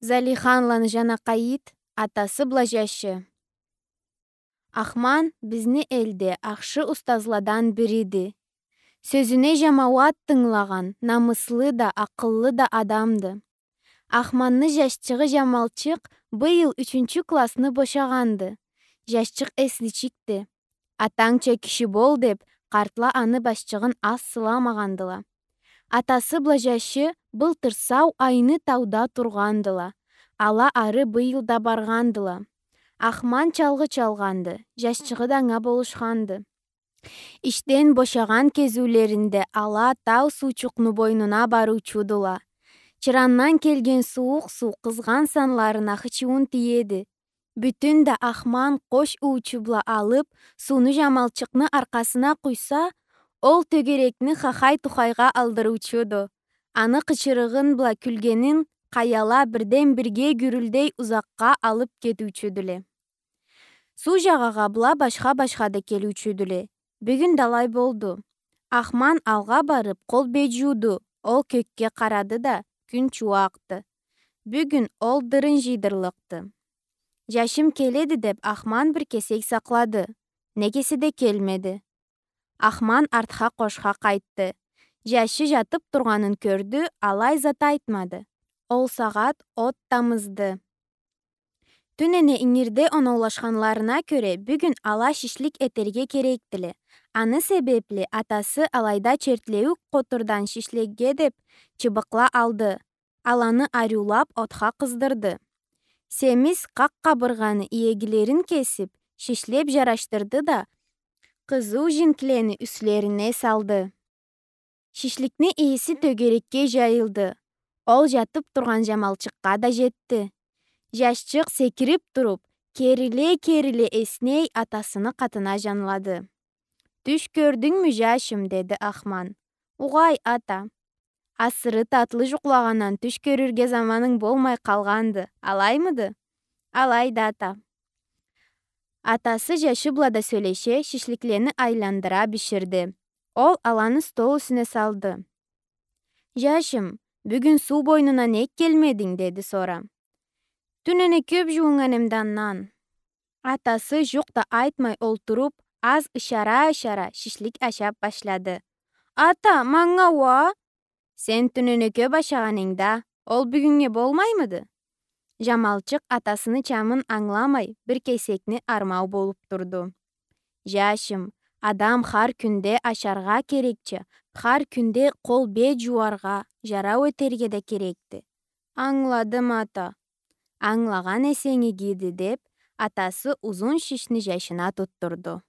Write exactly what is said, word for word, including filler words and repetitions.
Залиханланы Жанакъайыт, атасы бла жашы. Ахман бизни элде ахшы устазладан бириди. Сёзюне жамауат тынгылагъан, намыслы да, акъыллы да адамды. Ахманны жашчыгъы Жамалчыкъ быйыл ючюнчю классны бошагъанды. Жашчыкъ эсличикди. Атангча киши бол деп, къартла аны башчыгъын аз сыламагъандыла. Атасы бла жашы былтыр сау айны тауда тургъандыла. Ала ары быйыл да баргъандыла. Ахман чалгъы чалгъанды, жашчыгъы да анга болушханды. Ишден бошагъан кезиулеринде ала тау суучукъну бойнуна барыучудула. Чырандан келген сууукъ суу къызгъан санларына хычыуун тиеди. Бютюн да Ахман къош уучу бла алып, сууну Жамалчыкъны аркъасына къуйса, ол тёгерекни хахай-тухайгъа алдырыучуду. Аны къычырыгъын бла кюлгенин къаяла бирден-бирге гюрюлдей узакъгъа алып кетиучюдюле. Суу жагъагъа была башха-башха да келиучюдюле. Бюгюн да алай болду. Ахман алгъа барып, къол-бет жууду. Ол кёкге къарады да, кюн чууакъды. Бюгюн ол дырын жыйдырлыкъды. Жашым келеди деп, Ахман бир кесек сакълады. Не кеси да келмеди. Ахман артха къошха къайтды. Жашы жатып тургъанын кёрдю, алай зат айтмады. Ол сагъат от тамызды. Тюнене ингирде оноулашханларына кёре, бюгюн ала шишлик этерге керекдиле. Аны себепли атасы алайда чертлеуюк къотурдан шишликге деп чыбыкъла алды. Аланы ариулап отха къыздырды. Семиз къакъ къабыргъаны иегилерин кесип, шишлеп жарашдырды да, къызыу жинклени юслерине салды. Шишликни ийиси тёгерекге жайылды. Ол жатып тургъан Жамалчыкъгъа да жетди. Жашчыкъ секирип туруп, кериле-кериле эсней атасыны къатына жанлады. «Тюш кёрдюнгмю, жашым?» — деди Ахман. «Угъай, ата». «Асыры татлы жукълагъандан тюш кёрюрге заманынг болмай къалгъанды, алаймыды?» «Алайды, ата». Атасы жашы бла да сёлеше, шишликлени айландыра биширди. Ол аланы стол юсюне салды. «Жашым, бюгюн суу бойнуна нек келмединг?» — деди сора. «Тюнене кёп жуунган эдим да андан». Атасы жукъ да айтмай олтуруп, аз ышара-ышара шишлик ашап башлады. «Ата, манга уа?» «Сен тюнене кёп ашагъан эдинг да, ол бюгюннге болмаймыды?» Жамалчыкъ атасыны чамын ангыламай, бир кесекни армау болуп турду. «Жашым, адам хар кюнде ашаргъа керекча, хар кюнде къол-бет жууаргъа, жарау этерге да керекди». «Ангыладым, ата». «Ангылагъан эсенг игиди», — деп, атасы узун шишни жашына тутдурду.